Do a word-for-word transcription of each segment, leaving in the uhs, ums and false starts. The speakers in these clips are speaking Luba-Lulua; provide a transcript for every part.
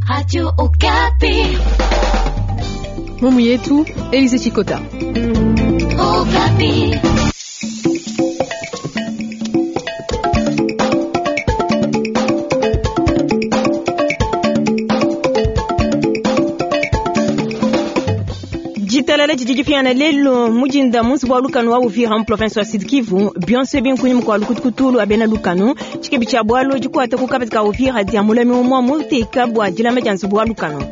Radio Okapi. Mumu yetu Elise Chikota. Okapi. Ditalala didi dipiana lelo mujinda munsi bwa lukanu wa Uvira mu province wa Sud Kivu bionso binkunyi mukwa lukutukutulu abena lukanu tshikebi tshia bwalo dikwata ku kabati ka Uvira dia mulami umwa muteka bwa dilama dia nzubu wa lukanu.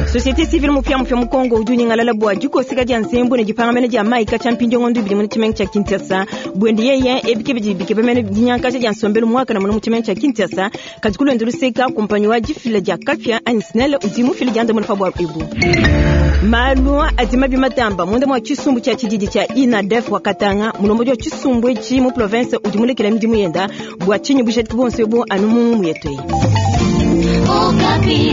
Société civile mupya mupya mu Kongo udi unyingalala bwa dikoseka dia nzembu ne dipangamene dia mayi katshia mpindieu ibidi mu tshimenga tshia Kinshasa bwende yeye ebike bidi bikebemene dinyankaja dia nsombelu muakana muno mu tshimenga tshia Kinshasa kadi kulonda luseka kumpanyi wa difila dia kapia anyi SNEL udi mufile diandamuna pa bua ebu. Malu adi mabi matamba munda mwa tshisumbu tshia tshididi tshia INADEF wa Katanga mulombodi wa tshisumbu etshi mu province udi mulekela midimu yenda bua tshinyi bujadiki buonso ebu anu mu yetu eyi. Okapi.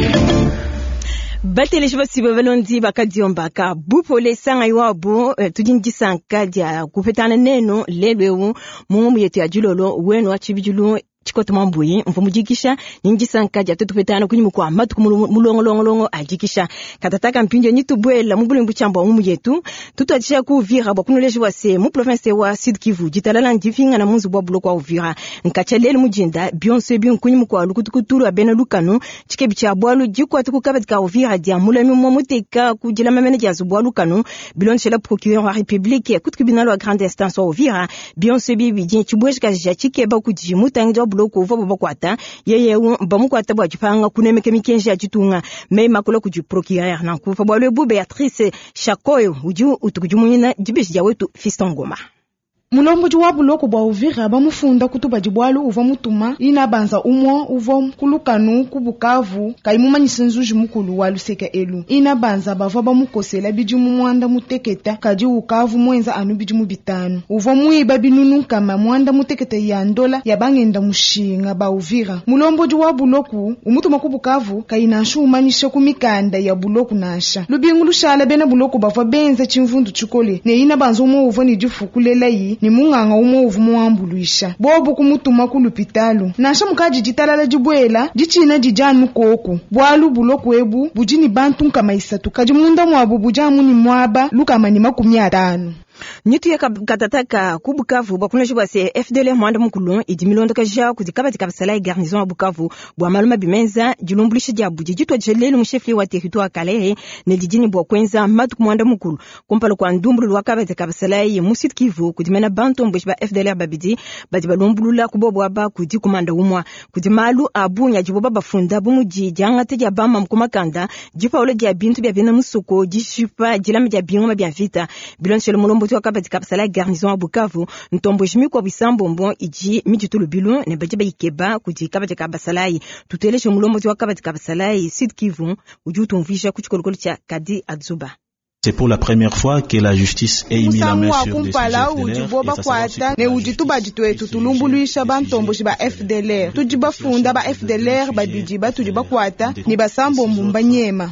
Bateleji basibe balondi bakadiombaka bupole sanga iwabo eh, tudi ndisanka dia kupetana neno lelo eu mu yetu ya dilolo wenu wa tshibidilu tshikoto mambuyi mvu mudikisha nindisanka dia tutupetana kunyi mukwa matuku mulongolongolongo adikisha katataka mpindio nitubwela mu bulembu tshiamba mu yetu tutwadisha ku Uvira bwa kunoleji wa se mu province wa Sud Kivu ditalala ndifinga na munzu bwa buloko wa Uvira nkacha lelo mujinda bionso binkunyi mukwa lukutukutulu abena lukanu tshikebi tshia bwalu dikwata ku kabati ka Uvira dia mulami mwa muteka ku dilama mene dia nzubu wa lukanu bilonshela procureur wa République ku tribunal wa grande instance wa Uvira bionso bibi tshibweshika ja tshikeba kudi mutangi wa buloko uva bakwata yeye bamukwata bwa dipanga kunemeka mikenji ya ditunga me makolo kudi procureur nanku pa bwalu ebu Beatrice Shakoyo udi utukudimunyina dibeji dia wetu Fiston Ngoma. Mulombodi wa buloko bwa Uvira bamufunda kutubadi bwalu uvua mutuma ina banza umwa uvua kulukanu ku Bukavu kaimumanyisa nzuji mukulu wa luseka elu ina banza bavua bamukosela bidimu mwanda muteketa kadi ukavu mwenza anu bidimu bitanu uvua muiba binunu nkama mwanda muteketa ya ndola ya bangenda mushinga ba Uvira. Mulombodi wa buloku umutuma ku Bukavu kainanshu umanyisha ku mikanda ya buloku nansha lubingu lushala bena buloku bavua benza tshimvundu tshikole ne ina banza umwa uvua ne difukulela yi ni munganga umwe uvu muambuluisha bobu kumutuma ku lupitalu nansha mukaji ditalala dibwela ditshina dijanu koku bwalu buloku ebu budi ni bantu nkama isatu kadi munda mwabu bujamu ni mwaba lukama ni makumi atanu. Nitu ya katataka ku Bukavu bwa kunoji bwa se F D L R mwanda mukulu idi milondoka ja kudi kabati kabasala garnison ya Bukavu bwa maluma bimenza dilumbulisha dia budi ditwa jelelu mu chef wa territoire Kalehe ne didini bwa kwenza matuku mwanda mukulu kumpala kwa ndumbulu wa kabati kabasala mu Sud Kivu kudi mena bantu mbushi ba F D L R babidi badi balumbulula kubobo aba kudi kumanda umwa kudi malu abunya jiboba bafunda bumudi diangate dia bama mkumakanda dipaolo dia bintu bia bena musuko dishipa dilama dia bingoma bia vita bilonshelo mulombo kabati kapsala garnison ya Bukavu ntombo jimi kwa bisambombo iji mijitulu bilu ne baje bayikeba kudi kabati kabasalai tuteleshe mulombo wa kabati kabasalai Sud Kivu udi utumvisha kuchikolokolo cha Kadi Adzuba. C'est pour la première fois que la justice ait mis la main sur des sujets F D L R bakwata ne udi tubadi twetu tulumbuluisha bantomboshi ba F D L R tudi bafunda ba F D L R babidi batudi bakwata ni basambombo mbanyema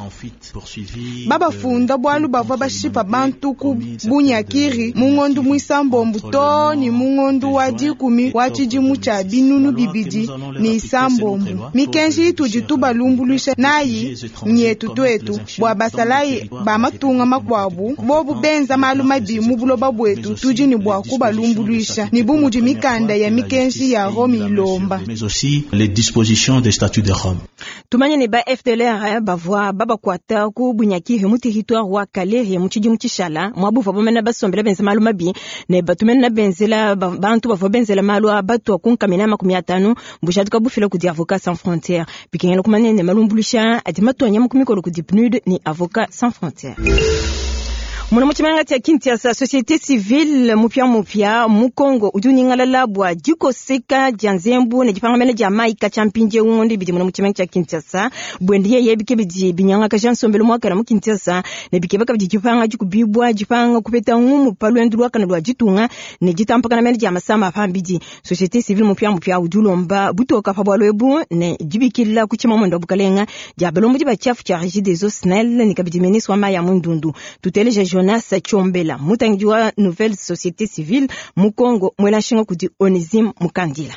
babafunda bwalu bavua bashipa bantu ku bunyakiri mungondu mwisambombo to ni mungondu wa dikumi wa tshidimu tshia binunu bibidi ni isambombo mikenji itudi tubalumbuluisha nayi nyetu twetu bwa basalayi ba matunga makwabu bobu benza malu mabi mu buloba bwetu tudi ni bwa kubalumbuluisha ni bumudi mikanda ya mikenji ya Rome ilomba mais aussi les dispositions des statuts de Rome. Tumanye ne ba F D L R bavua babakwata ku bunyakiri mu territoire wa Kalehe mu tshidimu tshishala mwabuva bomena basombela benza malu mabi ne batumena benzela bantu bavua benzela malu a batu akunkamina makumi atanu mbujatuka bufila kudi Avocats Sans Frontières bikengela kumanye ne malumbuluisha adi matonya mu kumikolo kudi P N U D ni Avocats Sans Frontières. Muna muchimanga tia Kinshasa société civile mupya mupya mu Kongo udi unyingalala bwa dikoseka dia nzembu ne dipangamene dia mayi katshia mpindieu ngondo ibidi muna muchimanga tia Kinshasa bwende yeye bike bidi binyangaka ja nsombelu muakana mu Kinshasa ne bikebaka bidi dipanga dikubibwa dipanga kupeta ngumu pa lwendu lwakana lwa ditunga ne ditampakana mene dia masama pambidi société civile mupya mupya udi ulomba butoka pa bwalu ebu ne dibikila ku tshimamwendo wa bukalenga dia balombo di batshiafu tshia Régie des eaux SNEL ne kabidi ministre wa mayi ya mundundu tuteleja Jonas Tchombela, mutangidi wa Nouvelle Société Civile mu Congo, mwela nshinga kudi Onesime Mukandila.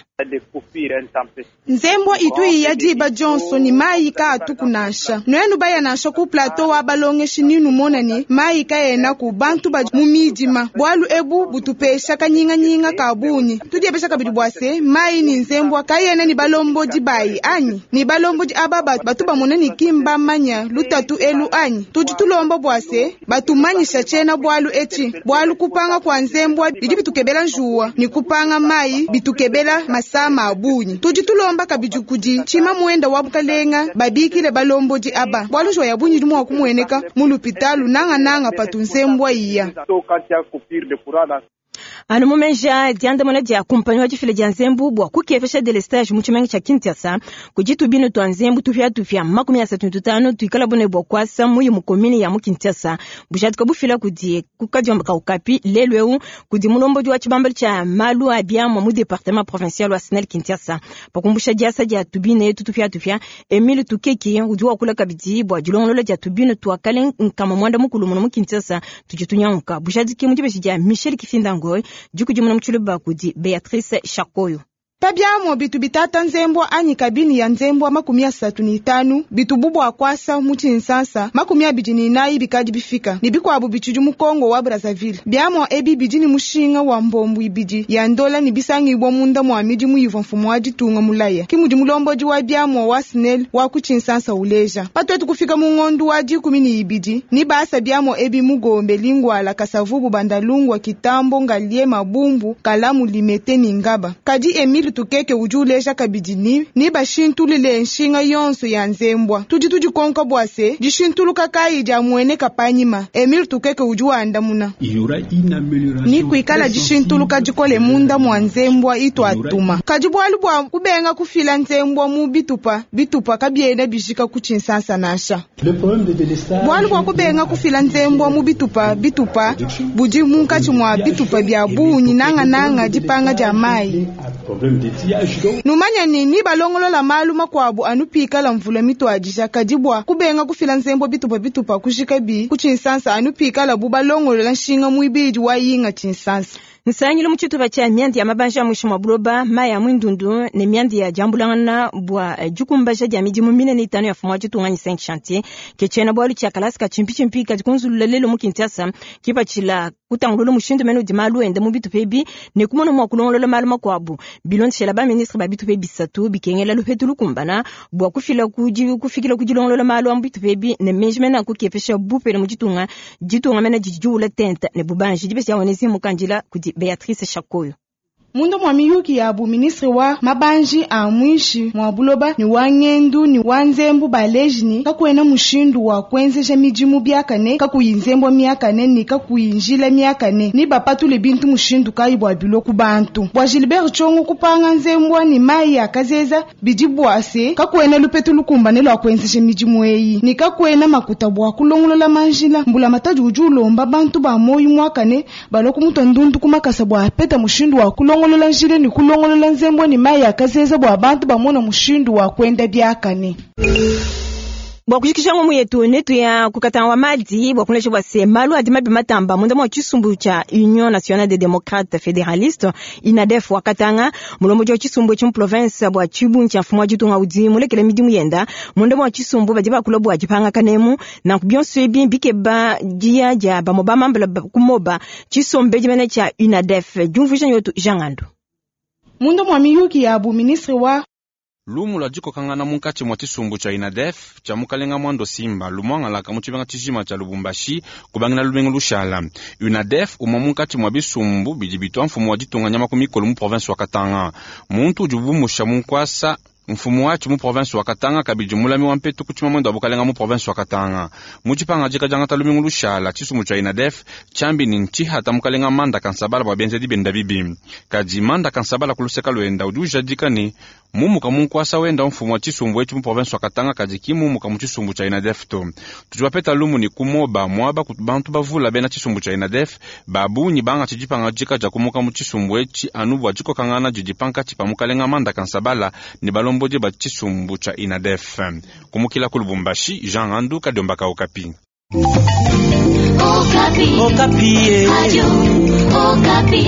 Nzembwa itu ya diba Johnson ni mayi ka atuku nansha nwenu baya nansha ku plateau wa balongeshi ninu monani mayi ka yena ku bantu ba mu midima bwalu ebu butupesha kanyinganyinga ka bunyi tudiepesha kabidi bwase mayi ni nzembwa kayena ni balombodi bayi anyi ni balombodi aba batu bamona ni kimba manya lutatu elu anyi tudi tulomba bwase batumanyisha chena bwalu echi bwalu kupanga kwa nzembwa bidi bitukebela njuwa ni kupanga mayi bitukebela masama abunyi tudi tulomba kabidi kudi chima muenda wa bukalenga babikile balombodi aba bwalu njuwa ya bunyi dimwa kumweneka mulupitalu nanga nanga patu nzembwa iya. Anu mumenja diandamuna dia kumpanyi wa difila dia nzembu bua kukepesha delestage mu tshimenga tshia Kinshasa kudi tubinu tua nzembu tupia-tupia makumi asatu ne tutanu tuikala bune bua kuasa muyi mu komine ya mu Kinshasa bujadika bufila kudi kukadiomba ka Okapi lelu eu kudi mulombodi wa tshibambalu tshia malu a biamua mu département provincial wa SNEL Kinshasa pakumbusha diasa dia tubine etu tupia-tupia. Emile Tukeki udi wakula kabidi bua dilongolola dia tubinu tua kale nkama mwanda mukulu muno mu Kinshasa tudi tunyanguka bujadiki mu dibeji dia Michel Kifinda Ngoy dikudimuna mu tshiluba kudi Beatrice Shakoyo. Pabyamo bitu bitata nzembwa anyi kabini ya nzembwa makumi asatu ni itanu bitu bubwa kwasa mu Tshinsansa makumi abidi ni inayi bikadi bifika ni bikwabu bitshidi mu Kongo wa Brazzaville. Byamo ebi bidi ni mushinga wa mbombu ibidi ya ndola ni bisangibwa munda mwa midi muyiva mfumu wa ditunga mulaya kimudi mulombodi wa byamo wa SNEL wa ku Tshinsansa uleja patwetu kufika mu ngondu wa dikumi ni ibidi ni basa byamo ebi mugombe Lingwala Kasavubu Bandalungwa Kitambo Ngalie Mabumbu Kalamu Limete ni Ngaba kadi Emile Tukeke udi uleja kabidi ni ni bashintulule nshinga yonso ya nzembwa tudi tudikonka bwase dishintuluka kayi dia mueneka panyima. Emile Tukeke udi wandamuna ni kuikala dishintuluka dikole munda mwa nzembwa itu atuma kadi bwalu bwa kubenga kufila nzembwa mu bitupa bitupa kabiena bijika ku Tshinsansa nansha bwalu bwa kubenga kufila nzembwa mu bitupa bitupa budi munkatshi mwa bitupa bya bunyi nangananga dipanga dia mayi. Numanya nini balongolola malu makwabu anupikala mvula mitwadija kadi bwa kubenga kufila nzembo bitupa bitupa kushika bi ku Tshinsansa anupikala bu balongolola nshinga muibidi wa yinga Tshinsansa. Nsangilo mu tshitupa tshia miandi ya mabanja a mwishi mwa buloba mayi a mwindundu ne miandi ya diambulangana bua dikumbaja dia midimu minene itanu ya fumu wa ditunga ni cinq chantier ke tshiena bualu tshia kalasi ka tshimpitshimpi kadi kunzulula lelo mu Kinshasa kipatshila kutangulula mushindu mene udi malu ende mu bitupa ebi ne kumona mua kulongolola malu makuabu bilondeshela ba ministre ba bitupa bisatu bikengela lupetu lukumbana bua kufila kudi kufikila kudilongolola malu a mu bitupa ebi ne meji mene akukepesha bupele mu ditunga ditunga mene didi diwula tente ne bubanji dibesi ya Onesi Mukandila kudi Beatrice Shakoyo. Mundo mwa miyuki ya bu ministre wa mabanji a mwishi mwa buloba ni wa ngendu ni wa nzembu baleji ni kakwena mushindu wa kwenzeja midimu byakane kakuyi nzembo myakane ni kakuyi njila myakane ni bapatule bintu mushindu kayi bwa bilo ku bantu bwa Gilbert Tshongo kupanga nzembwa ni mayi akazeza bidi bwase kakwena lupetu lukumbane lwa kwenzeja midimu eyi ni kakwena makuta bwa kulongolola manjila mbula matadi udi ulomba bantu ba moyi mwakane baloku mutu ndundu kumakasa bwa peta mushindu wa kulongolola kulongolola njile ni kulongolola nzembo ni mayi akazeza bwa bantu bamona mushindu wa kwenda byakane. Bwa kujikisha ngomu yetu netu ya kukatanga wa madi bwa kunesha bwa se malu adi mabi matamba munda mwa chisumbu cha Union Nationale des Démocrates Fédéralistes INADEF wakatanga mulombo wa chisumbu cha province bwa chibu cha mfumo wa ditunga udi mulekele midimu yenda munda mwa chisumbu badi bakula bwa dipanga kanemu na kubionso ebi bikeba dia dia bamoba mambala kumoba chisombe dimene cha UNADEF jumvusha nyotu Jangando. Mundo mwa miyuki ya bu ministre wa Lumu lwa dikokangana munkatshi mwa tshisumbu tshia INADEF tshia mukalenga mwando Simba lumwangalaka mu tshibenga tshijima tshia Lubumbashi kubangila lubenga lushala. UNADEF umwa munkatshi mwa bisumbu bidi bitwa mfumu wa ditunga nyama ku mikolo mu province wa Katanga. Muntu udi bumusha munkwasa mfumu wachi mu province wa Katanga kabidi mulami wa mpetu kuchima mwendo wa bukalenga mu province wa Katanga. Mu tshipanga dika diangata lumingu lushala tshisumbu tshia INADEF tshiambi ni ntshihata mukalenga manda kansabala bua bienzedi bienda bibi. Kadi manda kansabala kuluseka lwenda udi ujadika ni mumuka munkwasa wenda mfumu wa tshisumbu etshi mu province wa Katanga kadi ki mumuka mu tshisumbu tshia INADEF to. Tudi bapeta lumu ni kumoba mwaba ku bantu bavula bena tshisumbu tshia INADEF babunyi banga tshidipanga dika dia kumuka mu tshisumbu etshi anu bua dikokangana didi pankatshi pa mukalenga manda kansabala ni balombo ba tshisumbu tshia INADEF. Kumukila ku Lubumbashi, Jean Andu Kadiomba ka Okapi. Okapi. Okapi. Radio Okapi.